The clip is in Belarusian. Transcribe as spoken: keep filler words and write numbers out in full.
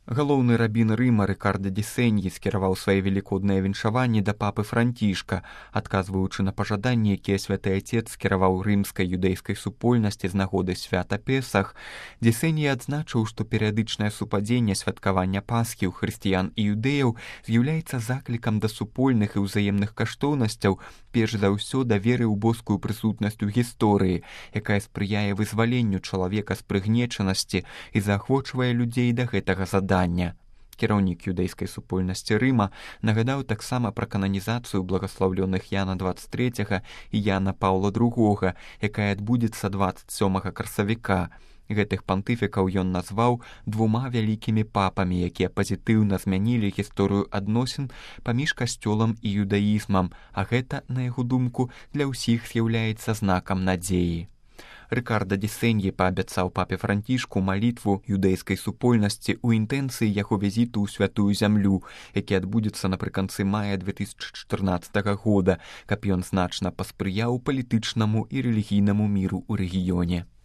Галоўны рабін Рыма Рыкарда Дисеньі скіраваў свае велікодныя віншаванні да папы Францішка, адказваючы на пажаданні, якія святы Отец скіраваў рымскай юдэйскай супольнасці з нагоды свята Песах. Дисеньі адзначыў, што перыядычнае супадзенне святкавання Пасхі ў хрысціян і юдэяў з'яўляецца заклікам да супольных і ўзаемных каштоўнасцяў, перш за ўсё да веры ў боскую прысутнасць у гісторыі, якая спрыяе вызваленню чалавека з прыгнечанасці і заахвочвае людзей да гэтага задання. Кіраўнік юдэйскай супольнасці Рыма нагадаў таксама пра кананізацыю благаслаўлёных Яна дваццаць трэцяга і Яна Паўла другога, якая адбудзецца дваццаць сёмага красавіка. Гэтых пантыфікаў ён назваў двума вялікімі папамі, якія пазітыўна змянілі гісторыю адносін паміж касцёлам і юдаізмам, а гэта, на яго думку, для ўсіх з'яўляецца знакам надзеі. Рыкарда Дисеньі паабяцаў папе Францішку малітву юдэйскай супольнасці ў інтэнцыі яго візіту ў святую зямлю, які адбудзецца напрыканцы мая две тысячы чатырнаццатага года, каб ён значна паспрыяў палітычнаму і рэлігійнаму міру ў рэгіёне.